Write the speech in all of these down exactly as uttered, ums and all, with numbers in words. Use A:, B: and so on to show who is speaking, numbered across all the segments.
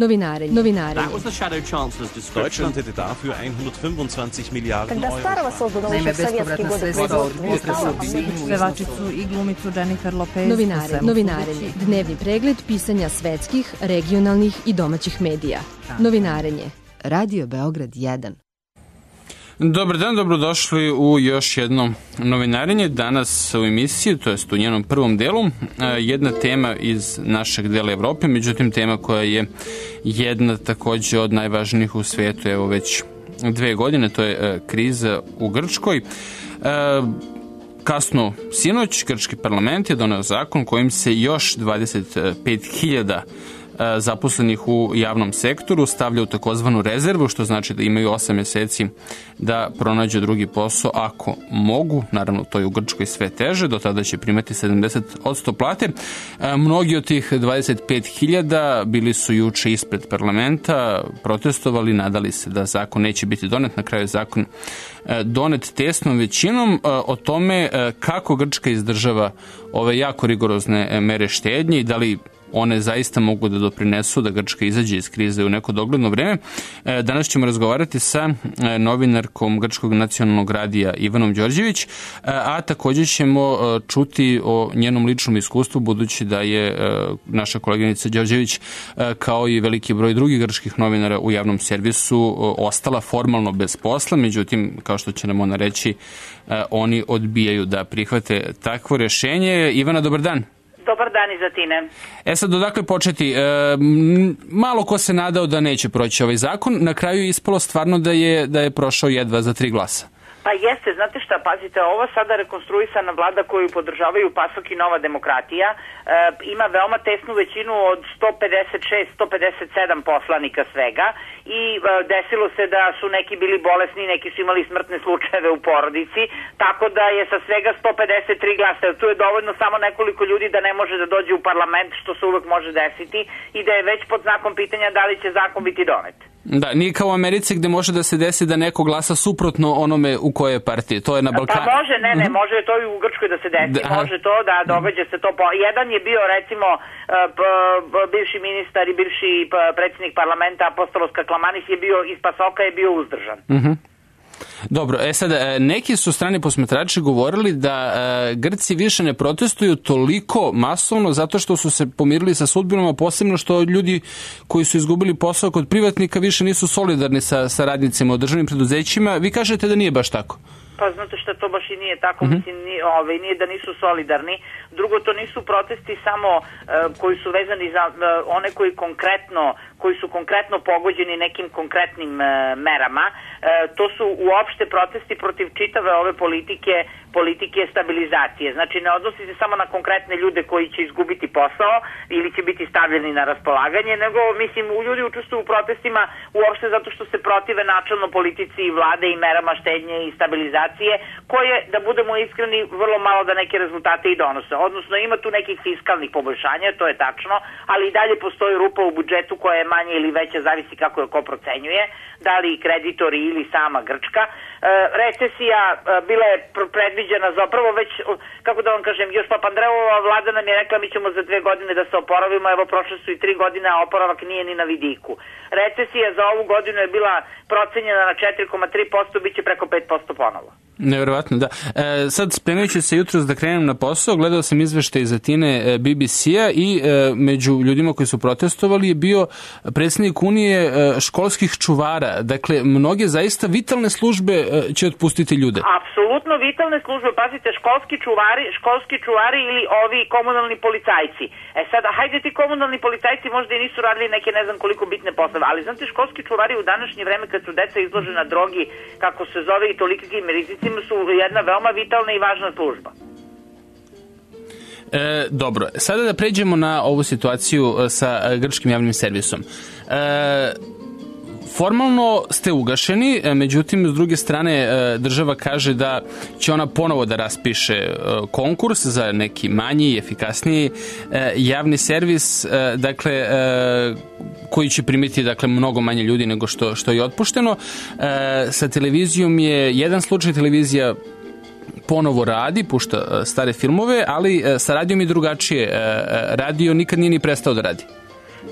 A: Novinarenje. Novinarenje.
B: Deutschland hätte dafür hundertfünfundzwanzig Milliarden Euro.
C: Naime, bespovratna sredstva od potresa
D: pevačicu i glumicu Jennifer Lopez.
A: Novinarenje. Novinarenje. Dnevni pregled pisanja svetskih, regionalnih i domaćih medija. Novinarenje. Radio Beograd jedan.
E: Dobar dan, dobrodošli u još jedno novinarenje. Danas u emisiji, to jest u njenom prvom delu, jedna tema iz našeg dela Evrope, međutim tema koja je jedna takođe od najvažnijih u svijetu, evo već dve godine, to je kriza u Grčkoj. Kasno sinoć, grčki parlament je doneo zakon kojim se još dvadeset pet hiljada zaposlenih u javnom sektoru stavlja u takozvanu rezervu, što znači da imaju osam meseci da pronađu drugi posao ako mogu. Naravno, to je u Grčkoj sve teže, do tada će primati sedamdeset posto plate. Mnogi od tih dvadeset pet hiljada bili su juče ispred parlamenta, protestovali, nadali se da zakon neće biti donet. Na kraju je zakon donet tesnom većinom. O tome kako Grčka izdržava ove jako rigorozne mere štednje i da li one zaista mogu da doprinesu da Grčka izađe iz krize u neko dogledno vreme. Danas ćemo razgovarati sa novinarkom Grčkog nacionalnog radija Ivanom Đorđević, a također ćemo čuti o njenom ličnom iskustvu, budući da je naša koleginica Đorđević, kao i veliki broj drugih grčkih novinara u javnom servisu, ostala formalno bez posla. Međutim, kao što će nam ona reći, oni odbijaju da prihvate takvo rešenje. Ivana, dobar dan.
F: Dobar dan i za tine.
E: E sad, odakle početi? E, malo ko se nadao da neće proći ovaj zakon, na kraju je ispalo stvarno da je, da je prošao jedva za tri glasa.
F: Pa jeste, znate šta, pazite, ova sada rekonstruisana vlada koju podržavaju PASOK i Nova demokratija e, ima veoma tesnu većinu od sto pedeset šest do sto pedeset sedam poslanika svega i e, desilo se da su neki bili bolesni, neki su imali smrtne slučajeve u porodici, tako da je sa svega sto pedeset tri glasa, tu je dovoljno samo nekoliko ljudi da ne može da dođe u parlament, što se uvek može desiti, i da je već pod znakom pitanja da li će zakon biti donet.
E: Da, nije kao u Americi gde može da se desi da neko glasa suprotno onome u koje partije, to je na Balkanu.
F: Pa može, ne, ne, može to i u Grčkoj da se desi, da, može to, da događa se to. Po... Jedan je bio, recimo, bivši ministar i bivši predsjednik parlamenta Apostolos Kaklamanis je bio iz Pasoka, je bio uzdržan. Mhm.
E: Dobro, e sad, neki su strani posmatrači govorili da e, Grci više ne protestuju toliko masovno zato što su se pomirili sa sudbinom, a posebno što ljudi koji su izgubili posao kod privatnika više nisu solidarni sa, sa radnicima u državnim preduzećima. Vi kažete da nije baš tako? Pa
F: znate što to baš i nije tako, mm-hmm. mislim, nije, ovaj, nije da nisu solidarni. Drugo, to nisu protesti samo uh, koji su vezani za uh, one koji konkretno, koji su konkretno pogođeni nekim konkretnim uh, merama. Uh, to su uopšte protesti protiv čitave ove politike, politike stabilizacije. Znači, ne odnosi se samo na konkretne ljude koji će izgubiti posao ili će biti stavljeni na raspolaganje, nego, mislim, u ljudi učestvuju u protestima uopšte zato što se protive načelno politici i vlade i merama štednje i stabilizacije, koje, da budemo iskreni, vrlo malo da neke rezultate i donose. Odnosno, ima tu nekih fiskalnih poboljšanja, to je tačno, ali i dalje postoji rupa u budžetu koja je manje ili veća, zavisi kako je ko procenjuje, da li kreditori ili sama Grčka. E, recesija e, bila je predviđena zapravo već, kako da vam kažem, još Papandreova vlada nam je rekla mi ćemo za dve godine da se oporavimo, evo prošle su i tri godine, a oporavak nije ni na vidiku. Recesija za ovu godinu je bila procenjena na četiri zarez tri posto, bit će preko pet posto ponovo.
E: Neverovatno, da. E, sad, spremajući se jutros da krenem na posao, gledao sam izveštaj iz Atine B B C-a i e, među ljudima koji su protestovali je bio predsjednik Unije e, školskih čuvara. Dakle, mnoge zaista vitalne službe e, će otpustiti ljude.
F: Apsolutno vitalne službe, pazite, školski čuvari, školski čuvari ili ovi komunalni policajci. E sad, hajde ti komunalni policajci možda i nisu radili neke ne znam koliko bitne poslove, ali znate, školski čuvari u današnje vreme kad su deca izložena drogi, kako se zove, i tolikim rizicima, su jedna veoma vitalna i važna služba.
E: E, dobro, sada da pređemo na ovu situaciju sa grčkim javnim servisom. E, formalno ste ugašeni, međutim, s druge strane država kaže da će ona ponovo da raspiše konkurs za neki manji i efikasniji javni servis, dakle, koji će primiti, dakle, mnogo manje ljudi nego što, što je otpušteno. Sa televizijom je jedan slučaj, televizija ponovo radi, pušta stare filmove, ali sa radijom i drugačije. Radio nikad nije ni prestao da radi.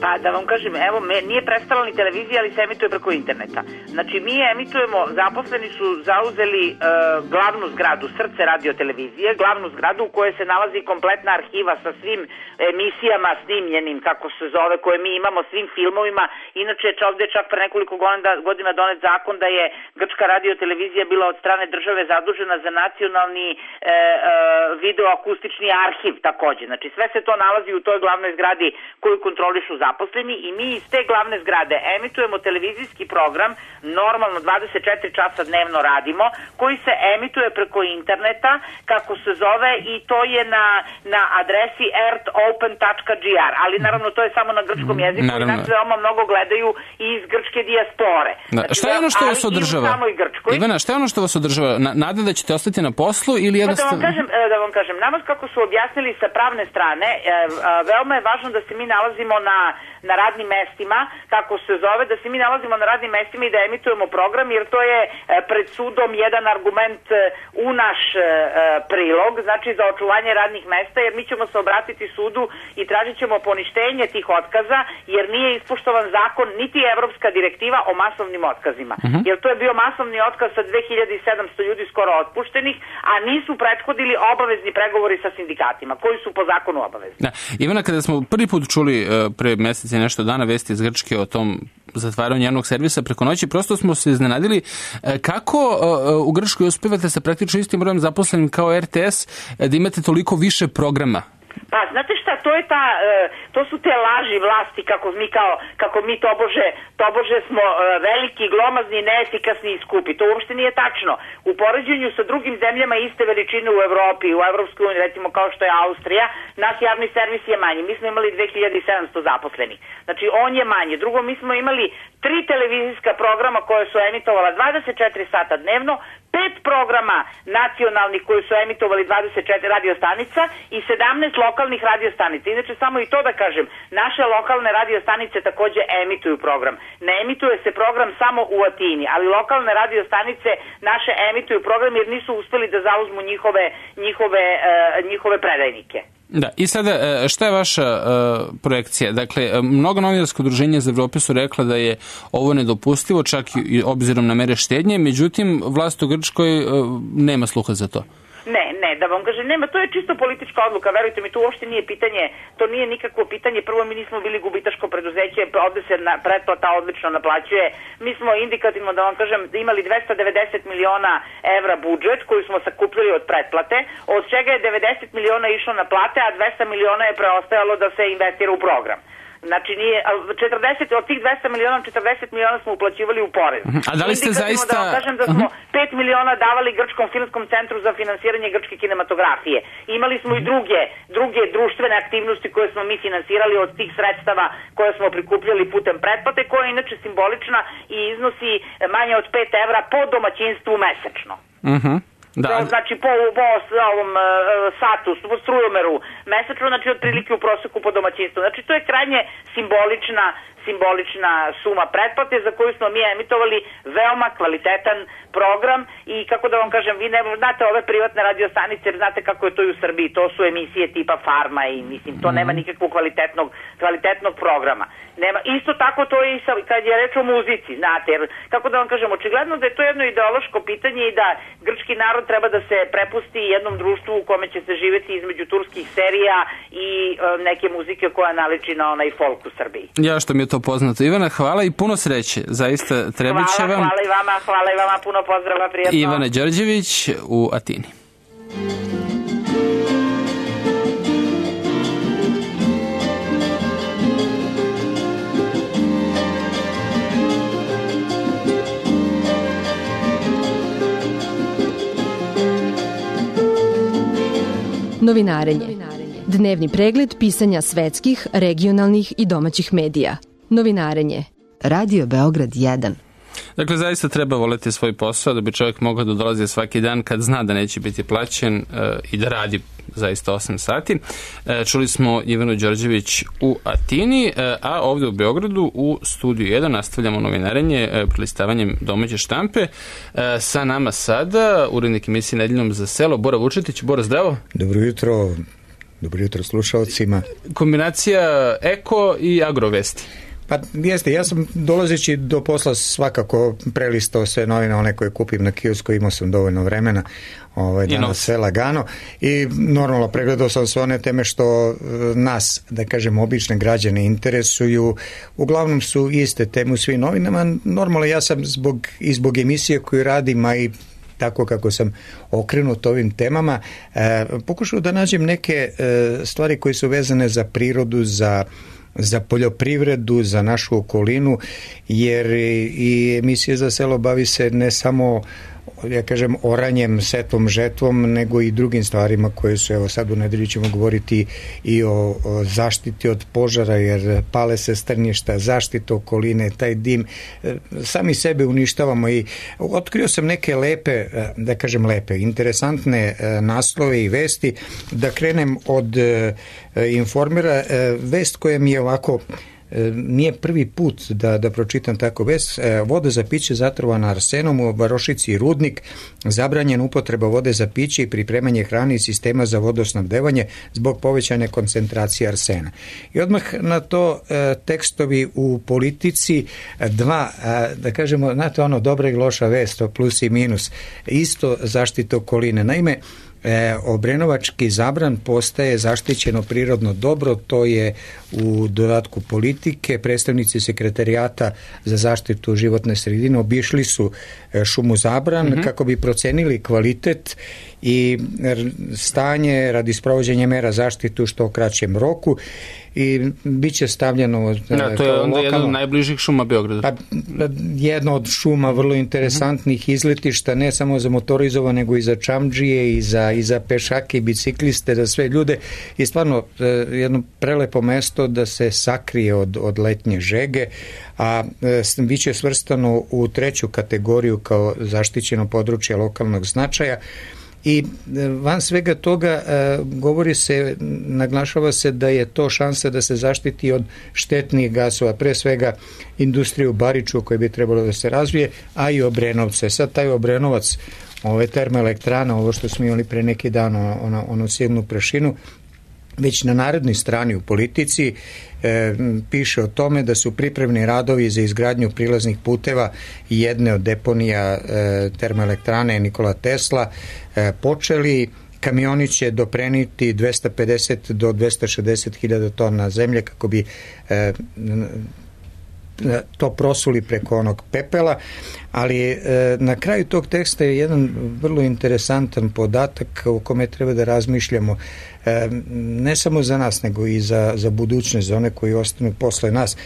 F: Pa da vam kažem, evo, me, nije prestala ni televizija, ali se emituje preko interneta. Znači, mi emitujemo, zaposleni su zauzeli e, glavnu zgradu, srce radio-televizije, glavnu zgradu u kojoj se nalazi kompletna arhiva sa svim emisijama snimljenim, kako se zove, koje mi imamo, svim filmovima. Inače, ovdje je čak pre nekoliko godina donet zakon da je grčka radio-televizija bila od strane države zadužena za nacionalni e, e, videoakustični arhiv takođe. Znači, sve se to nalazi u toj glavnoj zgradi koju kontrolišu zaposleni i mi iz te glavne zgrade emitujemo televizijski program, normalno dvadeset četiri časa dnevno radimo, koji se emituje preko interneta, kako se zove, i to je na, na adresi earthopen tačka g r, ali naravno to je samo na grčkom jeziku i nas veoma mnogo gledaju i iz grčke dijaspore.
E: Da. Znači, šta je ono što vas održava? Ivana, šta je ono što vas održava? Nada da ćete ostati na poslu ili jednostavno...
F: Pa da vam kažem, da vam kažem, nama kako su objasnili sa pravne strane, veoma je važno da se mi nalazimo na, na radnim mestima, kako se zove, da se mi nalazimo na radnim mestima i da emitujemo program, jer to je pred sudom jedan argument u naš prilog, znači za očuvanje radnih mesta, jer mi ćemo se obratiti sudu i tražit ćemo poništenje tih otkaza, jer nije ispoštovan zakon niti evropska direktiva o masovnim otkazima. Uh-huh. Jer to je bio masovni otkaz sa dve hiljade sedamsto ljudi skoro otpuštenih, a nisu prethodili obavezni pregovori sa sindikatima, koji su po zakonu obavezni.
E: Da. Ivana, kada smo prvi put čuli uh, pre meseci nešto dana vesti iz Grčke o tom zatvaranju javnog servisa preko noći, prosto smo se iznenadili kako uh, u Grčkoj uspevate sa praktično istim brojem zaposlenim kao er te es da imate toliko više programa.
F: Pa, znate šta, to je ta, to su te laži vlasti kako mi kao, kako mi tobože, tobože smo veliki, glomazni, neefikasni i skupi. To uopšte nije tačno. U poređenju sa drugim zemljama iste veličine u Evropi, u Evropskoj uniji, recimo kao što je Austrija, naš javni servis je manji. Mi smo imali dve hiljade sedamsto zaposlenih. Znači, on je manje. Drugo, mi smo imali tri televizijska programa koje su emitovala dvadeset četiri sata dnevno, pet programa nacionalnih koji su emitovali dvadeset četiri radiostanica i sedamnaest lokalnih radiostanica. Inače, samo i to da kažem, naše lokalne radiostanice takođe emituju program. Ne emituje se program samo u Atini, ali lokalne radiostanice naše emituju program jer nisu uspeli da zauzmu njihove, njihove, uh, njihove predajnike.
E: Da, i sada, šta je vaša uh, projekcija? Dakle, mnogo novinarsko udruženja za Evrope su rekla da je ovo nedopustivo, čak i obzirom na mere štednje, međutim, vlast u Grčkoj uh, nema sluha za to.
F: Ne, ne, da vam kažem, nema, to je čisto politička odluka, verujte mi, to uopšte nije pitanje, to nije nikakvo pitanje, prvo mi nismo bili gubitaško preduzeće, ovde se na, pretplata odlično naplaćuje, mi smo indikativno, da vam kažem, imali dvesta devedeset miliona evra budžet koji smo sakupljali od pretplate, od čega je devedeset miliona išlo na plate, a dvesta miliona je preostajalo da se investira u program. Znači, nije, četrdeset, od tih dvesta miliona, četrdeset miliona smo uplaćivali u porez.
E: A da li ste zaista...
F: Da vam kažem da smo pet miliona davali Grčkom filmskom centru za finansiranje grčke kinematografije. Imali smo i druge, druge društvene aktivnosti koje smo mi finansirali od tih sredstava koje smo prikupljali putem pretplate, koja je inače simbolična i iznosi manje od pet evra po domaćinstvu mesečno.
E: Mhm. Da.
F: Znači po, po ovom uh, satu, po strujomeru mesečno, znači otprilike u proseku po domaćinstvu. Znači to je krajnje simbolična simbolična suma pretplate za koju smo mi emitovali veoma kvalitetan program i kako da vam kažem, vi ne znate ove privatne radiostanice, jer znate kako je to i u Srbiji, to su emisije tipa Farma i mislim, to nema nikakvog kvalitetnog, kvalitetnog programa. Nema, isto tako to je i sa, kad je reč o muzici, znate, jer kako da vam kažem, očigledno da je to jedno ideološko pitanje i da grčki narod treba da se prepusti jednom društvu u kome će se živeti između turskih serija i e, neke muzike koja naliči na onaj folk u Srbiji.
E: Ja što mi je to poznato. Ivana, hvala i puno sreće. Zaista treba će vam.
F: Hvala i vama, hvala i vama, puno pozdrava, prijatno.
E: Ivana Đorđević u Atini.
A: Novinarenje. Dnevni pregled pisanja svetskih, regionalnih i domaćih medija. Novinarenje. Radio Beograd jedan.
E: Dakle, zaista treba voleti svoj posao da bi čovjek mogao da dolazi svaki dan kad zna da neće biti plaćen e, i da radi zaista osam sati. E, čuli smo Ivanu Đorđević u Atini, e, a ovde u Beogradu u studiju jedan nastavljamo novinarenje e, prelistavanjem domaće štampe. E, sa nama sada urednik emisije Nedeljom za selo Bora Vučetić. Bora, zdravo.
G: Dobro jutro. Dobro jutro slušalcima.
E: Kombinacija eko i agrovesti.
G: Pa jeste, ja sam dolazeći do posla svakako prelistao sve novine, one koje kupim na kiosku, imao sam dovoljno vremena, ovaj, danas sve lagano i normalno pregledao sam sve one teme što nas, da kažem, obične građane interesuju. Uglavnom su iste teme u svim novinama. Normalno ja sam zbog, i zbog emisije koju radim, a i tako kako sam okrenut ovim temama, e, pokušao da nađem neke e, stvari koje su vezane za prirodu, za za poljoprivredu, za našu okolinu, jer i emisija Za selo bavi se ne samo, ja kažem, oranjem, setvom, žetvom, nego i drugim stvarima koje su, evo sad u nedelju ćemo govoriti i o, o zaštiti od požara, jer pale se strnjišta, zaštita okoline, taj dim, sami sebe uništavamo i otkrio sam neke lepe, da kažem lepe, interesantne naslove i vesti. Da krenem od Informera, vest koja mi je ovako, nije prvi put da, da pročitam tako vest. Voda za piće zatrovana arsenom u varošici i Rudnik, zabranjena upotreba vode za piće i pripremanje hrane i sistema za vodosnabdevanje zbog povećane koncentracije arsena. I odmah na to tekstovi u Politici, dva, da kažemo, znate ono, dobra i loša vest, plus i minus, isto zaštita okoline. Naime, E, Obrenovački Zabran postaje zaštićeno prirodno dobro, to je u dodatku Politike. Predstavnici sekretarijata za zaštitu životne sredine obišli su šumu Zabran mm-hmm. kako bi procenili kvalitet i stanje radi sprovođenja mera zaštite u što kraćem roku i bit će stavljeno
E: da, to je onda lokalno, jedna od najbližih šuma Beograda. Pa,
G: jedna od šuma vrlo interesantnih mm-hmm. izletišta, ne samo za motorizova, nego i za čamdžije i za, i za pešake i bicikliste, za sve ljude i stvarno jedno prelepo mesto da se sakrije od, od letnje žege, a e, bit će svrstano u treću kategoriju kao zaštićeno područje lokalnog značaja. I van svega toga e, govori se, naglašava se da je to šansa da se zaštiti od štetnih gasova, pre svega industriju Bariču koji bi trebalo da se razvije, a i Obrenovce. Sad taj Obrenovac, ove termoelektrana, ovo što smo imali pre neki dan, ono, ono silnu prašinu, već na narednoj strani u Politici e, piše o tome da su pripremni radovi za izgradnju prilaznih puteva jedne od deponija e, termoelektrane Nikola Tesla e, počeli. Kamioni će dopreniti dvesta pedeset do dvesta šezdeset hiljada tona zemlje kako bi e, to prosuli preko onog pepela, ali e, na kraju tog teksta je jedan vrlo interesantan podatak o kome treba da razmišljamo, e, ne samo za nas, nego i za, za budućnost, za one koji ostanu posle nas,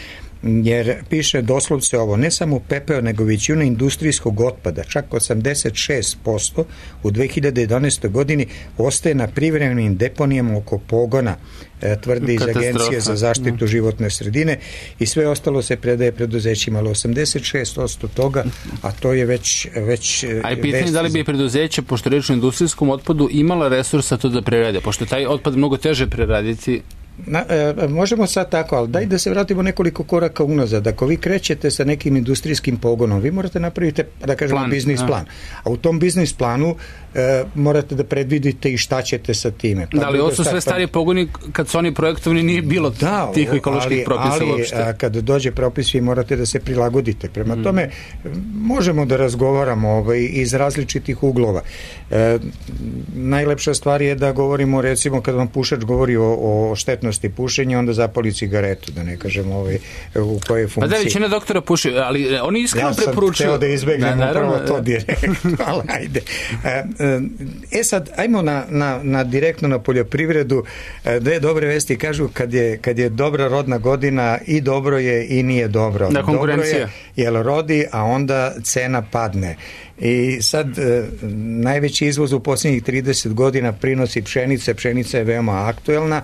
G: jer piše doslovce ovo, ne samo pepeo, nego većina industrijskog otpada, čak osamdeset šest posto u dve hiljade jedanaestoj godini ostaje na privremenim deponijama oko pogona, e, tvrdi iz Agencije za zaštitu životne sredine, i sve ostalo se predaje preduzećima, ali osamdeset šest posto toga, a to je već... već
E: a je pitanje da li bi preduzeće, pošto reč o industrijskom otpadu, imala resursa to da prerade, pošto taj otpad mnogo teže preraditi.
G: Na, e, možemo sad tako, ali daj da se vratimo nekoliko koraka unazad. Ako vi krećete sa nekim industrijskim pogonom, vi morate napraviti, da kažemo, plan, biznis a. plan. A u tom biznis planu e, morate da predvidite i šta ćete sa time. Pa
E: da, ali ovo su sve stari pogoni, kad su oni projektovani nije bilo da, tih ekoloških ali, propisa
G: ali,
E: uopšte.
G: Ali kad dođe propis, vi morate da se prilagodite. Prema mm. tome, možemo da razgovaramo ovaj, iz različitih uglova. E, najlepša stvar je da govorimo, recimo, kad vam pušač govori o, o štetnosti pušenja, onda zapali cigaretu, da ne kažem ovaj, u kojoj funkciji. Pa
E: da, većina doktora puši, ali oni iskreno
G: ja
E: preporučuju.
G: Ja sam teo da izbegnem da, upravo to direktno, ali ajde. E sad, ajmo na, na, na direktno na poljoprivredu. Dve dobre vesti kažu kad je, kad je dobra rodna godina i dobro je i nije dobro.
E: Da, konkurencija.
G: Dobro je, jel rodi, a onda cena padne. I sad e, najveći izvoz u posljednjih trideset godina prinosi pšenice. Pšenica je veoma aktuelna.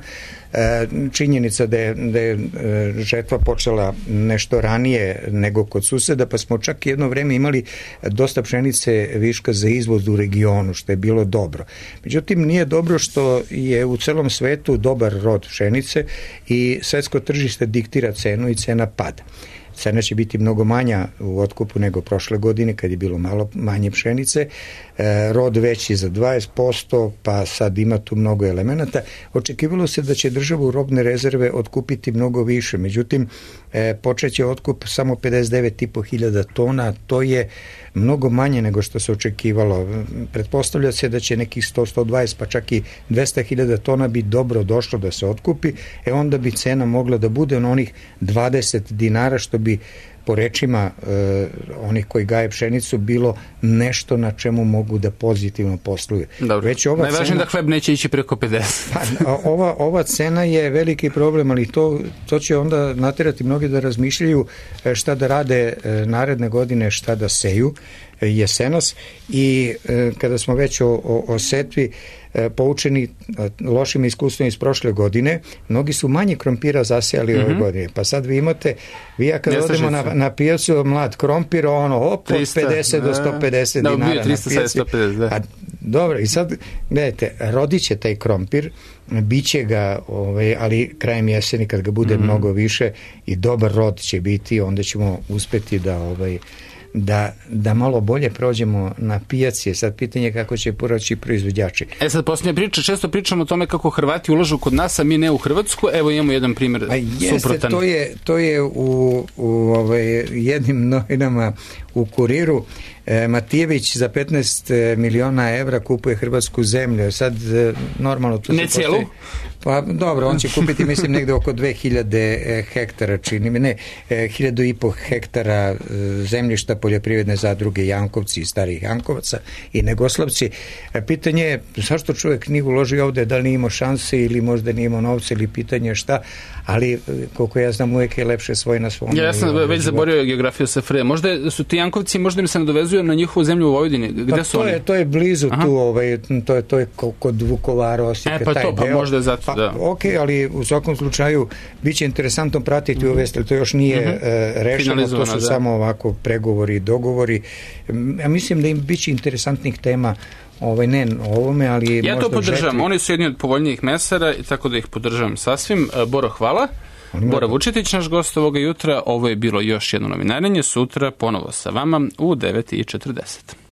G: E, činjenica da je, da je žetva počela nešto ranije nego kod suseda, pa smo čak jedno vreme imali dosta pšenice viška za izvoz u regionu, što je bilo dobro. Međutim, nije dobro što je u celom svetu dobar rod pšenice i svetsko tržište diktira cenu i cena pada. cena će biti mnogo manja u otkupu nego prošle godine kad je bilo malo manje pšenice, e, rod veći za dvadeset posto, pa sad ima tu mnogo elemenata. Očekivalo se da će država u robne rezerve otkupiti mnogo više, međutim e, počeće otkup samo pedeset devet i po hiljada tona, to je mnogo manje nego što se očekivalo. Pretpostavlja se da će nekih sto do sto dvadeset pa čak i dvesta hiljada tona bi dobro došlo da se otkupi, e onda bi cena mogla da bude na onih dvadeset dinara, što bi po rečima e, onih koji gaje pšenicu bilo nešto na čemu mogu da pozitivno posluju.
E: Najvažnije cena, da hleb neće ići preko pedeset.
G: Pa, ova, ova cena je veliki problem, ali to, to će onda naterati mnogi da razmišljaju šta da rade naredne godine, šta da seju jesenas, i e, kada smo već o, o, o setvi e, poučeni lošim iskustvima iz prošle godine, mnogi su manje krompira zasejali mm-hmm. ove godine, pa sad vi imate, vi ja kad odemo na, na pijacu mlad krompir, ono op, od pedeset do sto pedeset
E: da,
G: dinara
E: trista,
G: na pijaci.
E: sto pedeset, da.
G: A, dobro, i sad gledajte, rodit će taj krompir, biće ga, ovaj, ali krajem jeseni kad ga bude mm-hmm. mnogo više i dobar rod će biti, onda ćemo uspeti da ovaj Da, da malo bolje prođemo na pijaci. Sad pitanje kako će poraći proizvođači.
E: E sad posljednja priča, često pričamo o tome kako Hrvati ulažu kod nas, a mi ne u Hrvatsku. Evo imamo jedan primjer
G: a jeste,
E: suprotan.
G: To je, to je u, u ovaj, jednim novinama u Kuriru. E, Matijević za petnaest miliona evra kupuje hrvatsku zemlju. Sad normalno tu
E: ne cijelu?
G: Postoji, pa dobro, on će kupiti mislim negde oko dve hiljade hektara, čini mi, ne, hiljadu i po hektara zemljišta poljoprivredne zadruge Jankovci i starih Jankovaca i Negoslavci. Pitanje je zašto čovjek nije uložio ovde, da li nije imao šanse ili možda nije imao novce ili pitanje šta, ali koliko ja znam uvijek je lepše svoj na svom.
E: Ja, ja sam već zaborio geografiju S F R. Možda su ti Jankovci, možda mi se nadovezuju na njihovu zemlju u Vojvodini. Gde
G: pa
E: su
G: to
E: oni?
G: Je, to je blizu
E: Aha.
G: tu, ovaj, to je, to je kod Vukovara, Osijeka,
E: e, pa
G: taj
E: to, pa
G: deo.
E: možda je zato,
G: pa,
E: da.
G: Ok, ali u svakom slučaju bit će interesantno pratiti mm-hmm. ove stvari, to još nije mm-hmm. e, rešeno, to su da. samo ovako pregovori i dogovori. Ja mislim da im bit će interesantnih tema, ovaj, ne o ovome, ali
E: ja
G: možda
E: to podržavam,
G: žetvi.
E: Oni su jedni od povoljnijih mesara i tako da ih podržavam sasvim. Boro, hvala. Bora Vučetić, naš gost ovoga jutra. Ovo je bilo još jedno novinarenje. Sutra ponovo sa vama u devet i četrdeset.